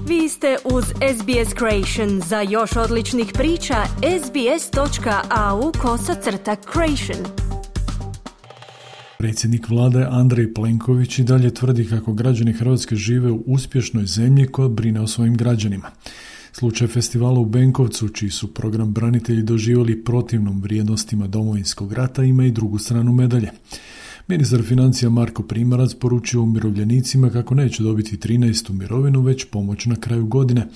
Vi ste uz SBS Creation. Za još odličnih priča, sbs.au/creation. Predsjednik vlade Andrej Plenković i dalje tvrdi kako građani Hrvatske žive u uspješnoj zemlji koja brine o svojim građanima. Slučaj festivala u Benkovcu, čiji su program branitelji doživjeli protivnom vrijednostima Domovinskog rata, ima i drugu stranu medalje. Ministar financija Marko Primorac poručio umirovljenicima kako neće dobiti 13. mirovinu, već pomoć na kraju godine,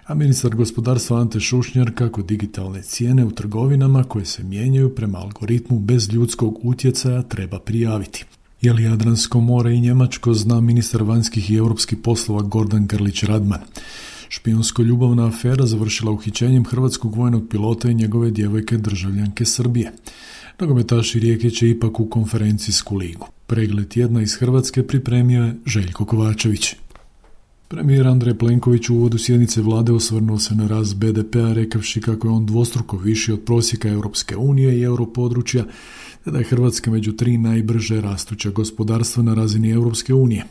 a ministar gospodarstva Ante Šušnjar kako digitalne cijene u trgovinama koje se mijenjaju prema algoritmu bez ljudskog utjecaja treba prijaviti. Je li Jadransko more i Njemačko, zna ministar vanjskih i europskih poslova Gordan Grlić-Radman. Špijunsko-ljubavna afera završila uhićenjem hrvatskog vojnog pilota i njegove djevojke državljanke Srbije. Nogometaši Rijeke će ipak u konferencijsku ligu. Pregled tjedna iz Hrvatske pripremio je Željko Kovačević. Premijer Andrej Plenković u uvodu sjednice vlade osvrnuo se na rast BDP-a rekavši kako je on dvostruko viši od prosjeka Europske unije i europodručja, te da je Hrvatska među 3 najbrže rastuća gospodarstva na razini Europske unije.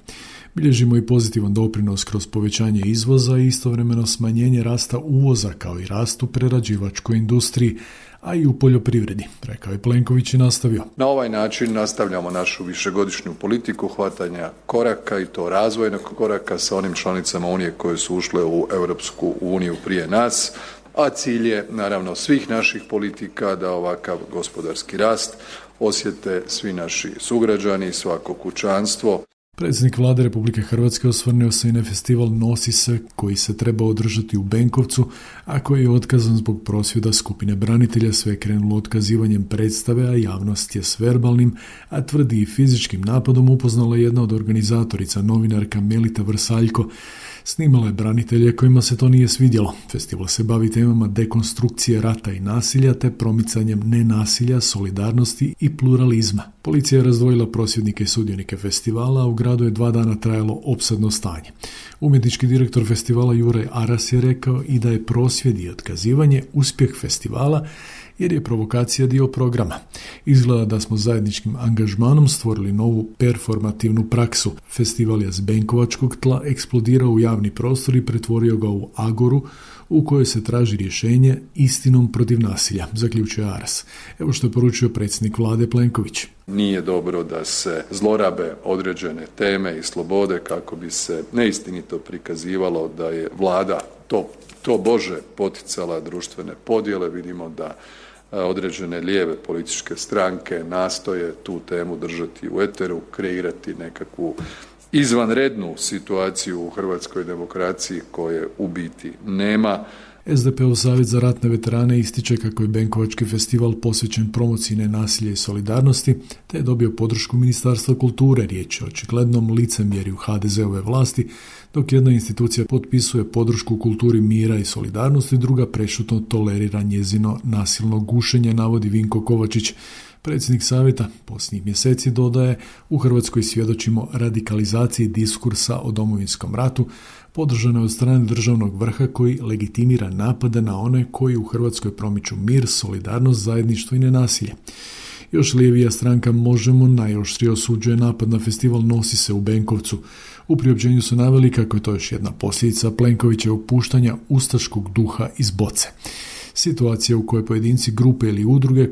Bilježimo i pozitivan doprinos kroz povećanje izvoza i istovremeno smanjenje rasta uvoza kao i rast u prerađivačkoj industriji, a i u poljoprivredi, rekao je Plenković i nastavio. Na ovaj način nastavljamo našu višegodišnju politiku hvatanja koraka i to razvojnog koraka sa onim članicama Unije koje su ušle u Europsku uniju prije nas, a cilj je naravno svih naših politika da ovakav gospodarski rast osjete svi naši sugrađani, svako kućanstvo. Predsjednik vlade Republike Hrvatske osvrnuo se i na festival Nosi se, koji se treba održati u Benkovcu, a koji je otkazan zbog prosvjeda skupine branitelja. Sve je krenulo otkazivanjem predstave, a javnost je s verbalnim, a tvrdi i fizičkim napadom upoznala jedna od organizatorica, novinarka Melita Vrsaljko. Snimala je branitelje kojima se to nije svidjelo. Festival se bavi temama dekonstrukcije rata i nasilja te promicanjem nenasilja, solidarnosti i pluralizma. Policija je razdvojila prosvjednike i sudionike festivala, a u gradu je 2 dana trajalo opsadno stanje. Umjetnički direktor festivala Juraj Aras je rekao i da je prosvjed i otkazivanje uspjeh festivala jer je provokacija dio programa. Izgleda da smo zajedničkim angažmanom stvorili novu performativnu praksu. Festival je s benkovačkog tla eksplodirao u javni prostor i pretvorio ga u agoru u kojoj se traži rješenje istinom protiv nasilja, zaključuje Aras. Evo što je poručio predsjednik vlade Plenković. Nije dobro da se zlorabe određene teme i slobode kako bi se neistinito prikazivalo da je vlada to Bože poticala društvene podjele. Vidimo da određene lijeve političke stranke nastoje tu temu držati u eteru, kreirati nekakvu izvanrednu situaciju u hrvatskoj demokraciji koje u biti nema. SDP-ov savjet za ratne veterane ističe kako je Benkovački festival posvećen promociji nenasilja i solidarnosti, te je dobio podršku Ministarstva kulture. Riječ je o očiglednom licemjerju HDZ-ove vlasti, dok jedna institucija potpisuje podršku kulturi mira i solidarnosti, druga prešutno tolerira njezino nasilno gušenje, navodi Vinko Kovačić. Predsjednik savjeta posljednjih mjeseci dodaje, u Hrvatskoj svjedočimo radikalizaciji diskursa o Domovinskom ratu, podržano je od strane državnog vrha koji legitimira napade na one koji u Hrvatskoj promiču mir, solidarnost, zajedništvo i nenasilje. Još lijevija stranka Možemo najoštrije osuđuje napad na festival Nosi se u Benkovcu. U priopćenju su naveli kako je to još jedna posljedica Plenkovićevog puštanja ustaškog duha iz boce. Situacija u kojoj pojedinci, grupe ili udruge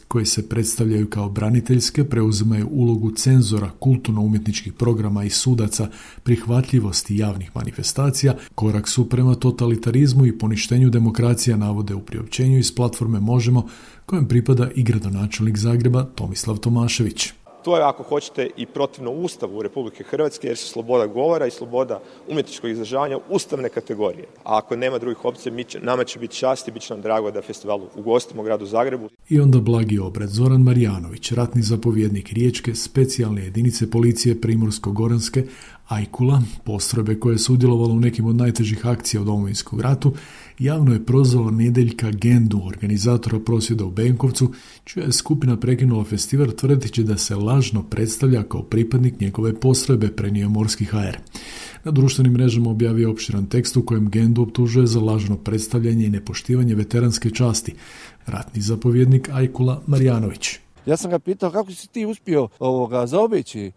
koje se predstavljaju kao braniteljske preuzimaju ulogu cenzora kulturno-umjetničkih programa i sudaca prihvatljivosti javnih manifestacija, korak su prema totalitarizmu i poništenju demokracija, navode u priopćenju iz platforme Možemo, kojem pripada i gradonačelnik Zagreba Tomislav Tomašević. To je, ako hoćete, i protivno Ustavu Republike Hrvatske, jer su sloboda govora i sloboda umjetničkog izražavanja ustavne kategorije. A ako nema drugih opcija, nama će biti čast i bit će nam drago da festival ugostimo u gradu Zagrebu. I onda blagi obred. Zoran Marjanović, ratni zapovjednik Riječke specijalne jedinice policije Primorsko-goranske Ajkula, postrojbe koje je sudjelovalo u nekim od najtežih akcija u Domovinskom ratu, javno je prozvalo Nedeljka Gendu, organizatora prosvjeda u Benkovcu, čija je skupina prekinula festival tvrdeći da se lažno predstavlja kao pripadnik njegove postrojbe, prenio Morski HR. Na društvenim mrežama objavio opširan tekst u kojem Gendu optužuje za lažno predstavljanje i nepoštivanje veteranske časti. Ratni zapovjednik Ajkula Marjanović. Ja sam ga pitao kako si ti uspio zaobići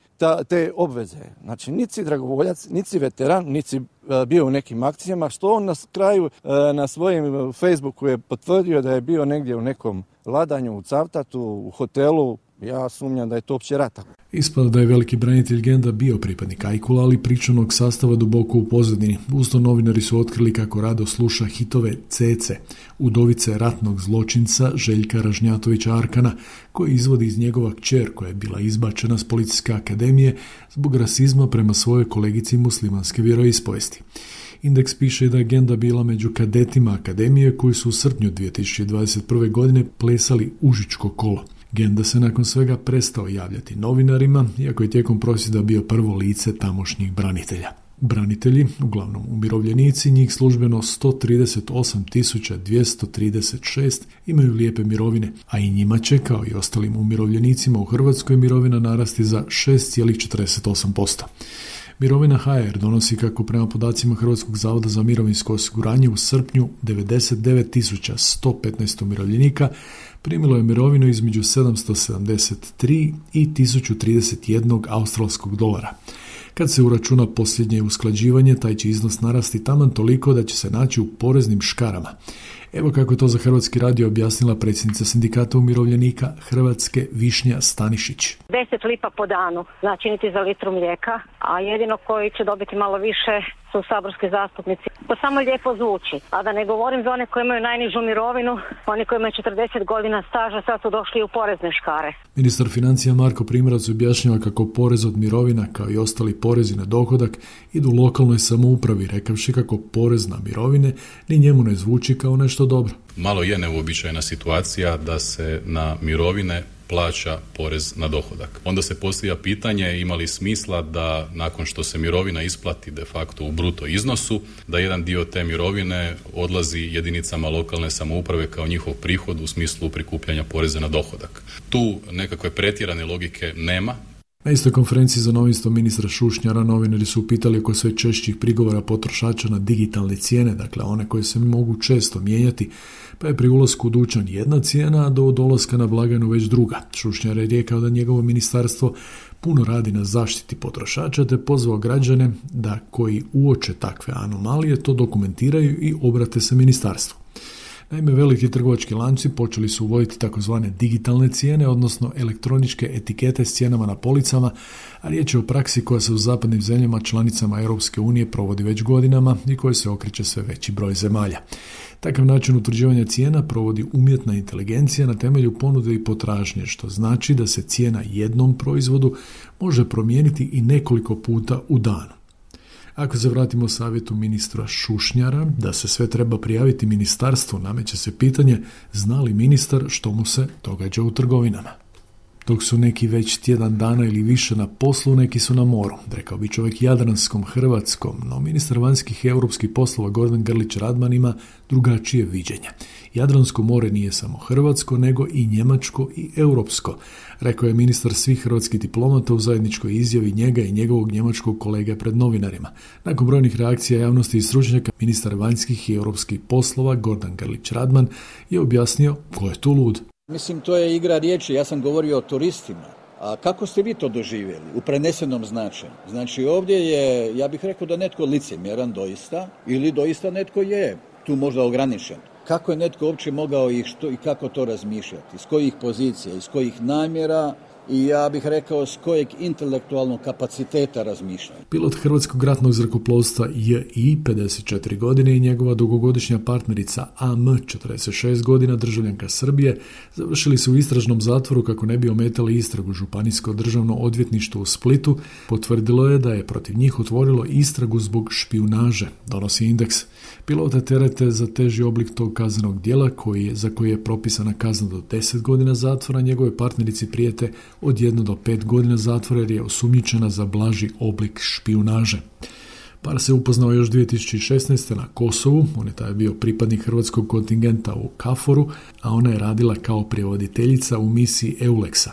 te obveze. Znači, niti si dragovoljac, niti si veteran, niti si bio u nekim akcijama, što on na kraju na svojim Facebooku je potvrdio da je bio negdje u nekom ladanju, u Cavtatu, u hotelu. Ja sumnjam da je to opće rata. Ispada da je veliki branitelj Genda bio pripadnik Ajkula, ali pričanog sastava duboko u pozadini. Uz to novinari su otkrili kako rado sluša hitove Cece, udovice ratnog zločinca Željka Ražnjatovića Arkana, koji izvodi iz njegova kćer koja je bila izbačena s policijske akademije zbog rasizma prema svojoj kolegici muslimanske vjeroispovesti. Indeks piše da je Genda bila među kadetima akademije koji su u srpnju 2021. godine plesali Užičko kolo. Genda se nakon svega prestao javljati novinarima, iako je tijekom prosvjeda bio prvo lice tamošnjih branitelja. Branitelji, uglavnom umirovljenici, njih službeno 138.236 imaju lijepe mirovine, a i njima će, kao i ostalim umirovljenicima u Hrvatskoj, mirovina narasti za 6,48%. Mirovina HR donosi, kako prema podacima Hrvatskog zavoda za mirovinsko osiguranje, u srpnju 99.115 umirovljenika primilo je mirovinu između 773 i 1031 australskog dolara. Kad se uračuna posljednje usklađivanje, taj će iznos narasti taman toliko da će se naći u poreznim škarama. Evo kako je to za Hrvatski radio objasnila predsjednica sindikata umirovljenika Hrvatske Višnja Stanišić. 10 lipa po danu, znači niti za litru mlijeka, a jedino koji će dobiti malo više su saborski zastupnici. To samo lijepo zvuči, a da ne govorim za one koji imaju najnižu mirovinu, oni koji imaju 40 godina staža sad su došli u porezne škare. Ministar financija Marko Primorac objašnjava kako porez od mirovina, kao i ostali porezi na dohodak, idu lokalnoj samoupravi, rekavši kako porez na mirovine ni njemu ne zvuči kao nešto dobro. Malo je neuobičajena situacija da se na mirovine plaća porez na dohodak. Onda se postavlja pitanje ima li smisla da nakon što se mirovina isplati de facto u bruto iznosu, da jedan dio te mirovine odlazi jedinicama lokalne samouprave kao njihov prihod u smislu prikupljanja poreza na dohodak. Tu nekakve pretjerane logike nema. Na istoj konferenciji za novinstvo ministra Šušnjara novinari su upitali oko sve češćih prigovora potrošača na digitalne cijene, dakle one koje se mogu često mijenjati, pa je pri ulasku u dućan jedna cijena, a do dolaska na blagajnu već druga. Šušnjar je rekao da njegovo ministarstvo puno radi na zaštiti potrošača, te pozvao građane da koji uoče takve anomalije to dokumentiraju i obrate se ministarstvu. Naime, veliki trgovački lanci počeli su uvoditi takozvane digitalne cijene, odnosno elektroničke etikete s cijenama na policama, a riječ je o praksi koja se u zapadnim zemljama članicama Europske unije provodi već godinama i koje se okreće sve veći broj zemalja. Takav način utvrđivanja cijena provodi umjetna inteligencija na temelju ponude i potražnje, što znači da se cijena jednom proizvodu može promijeniti i nekoliko puta u danu. Ako se vratimo savjetu ministra Šušnjara da se sve treba prijaviti ministarstvu, nameće se pitanje zna li ministar što mu se događa u trgovinama. Dok su neki već tjedan dana ili više na poslu, neki su na moru, rekao bi čovjek jadranskom hrvatskom, no ministar vanjskih i europskih poslova Gordan Grlić Radman ima drugačije viđenje. Jadransko more nije samo hrvatsko, nego i njemačko i europsko, rekao je ministar svih hrvatskih diplomata u zajedničkoj izjavi njega i njegovog njemačkog kolege pred novinarima. Nakon brojnih reakcija javnosti i stručnjaka, ministar vanjskih i europskih poslova Gordan Grlić Radman je objasnio ko je tu lud. Mislim, to je igra riječi, ja sam govorio o turistima. A kako ste vi to doživjeli u prenesenom značenju? Znači ovdje je, ja bih rekao da netko licemjeran doista, ili doista netko je tu možda ograničen. Kako je netko uopće mogao i kako to razmišljati? Iz kojih pozicija, iz kojih namjera i ja bih rekao s kojeg intelektualnog kapaciteta razmišljanja. Pilot Hrvatskog ratnog zrakoplovstva J.I. 54 godine i njegova dugogodišnja partnerica A.M. 46 godina, državljanka Srbije, završili su u istražnom zatvoru kako ne bi ometali istragu. Županijsko državno odvjetništvo u Splitu potvrdilo je da je protiv njih otvorilo istragu zbog špijunaže, donosi Indeks. Pilota terete za teži oblik tog kaznenog djela za koji je propisana kazna do 10 godina zatvora, njegove partnerici prijete od 1 do 5 godina zatvora jer je osumnjičena za blaži oblik špijunaže. Par se upoznao još 2016. na Kosovu, on je taj bio pripadnik hrvatskog kontingenta u KFOR-u, a ona je radila kao prevoditeljica u misiji EULEX-a.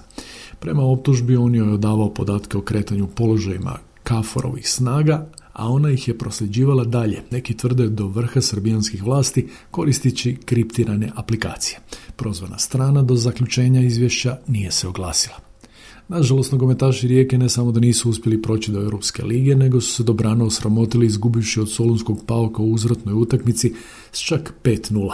Prema optužbi on joj je odavao podatke o kretanju položajima KFOR-ovih snaga, a ona ih je prosljeđivala dalje, neki tvrde do vrha srbijanskih vlasti, koristeći kriptirane aplikacije. Prozvana strana do zaključenja izvješća nije se oglasila. Nažalost, nogometaši Rijeke ne samo da nisu uspjeli proći do Europske lige, nego su se dobrano osramotili izgubivši od Solunskog Pauka u uzvratnoj utakmici s čak 5-0.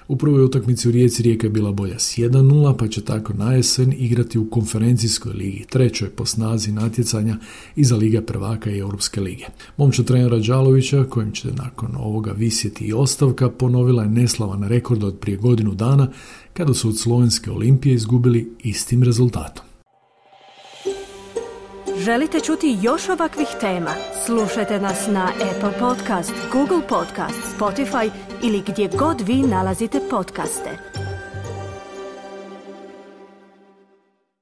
U prvoj utakmici u Rijeci Rijeka je bila bolja s 1-0, pa će tako na jesen igrati u konferencijskoj ligi, trećoj po snazi natjecanja iza Lige prvaka i Europske lige. Momčad trenera Đalovića, kojim će nakon ovoga visjeti i ostavka, ponovila je neslavan rekord od prije godinu dana, kada su od Slovenske Olimpije izgubili istim rezultatom. Želite čuti još ovakvih tema? Slušajte nas na Apple Podcast, Google Podcast, Spotify ili gdje god vi nalazite podcaste.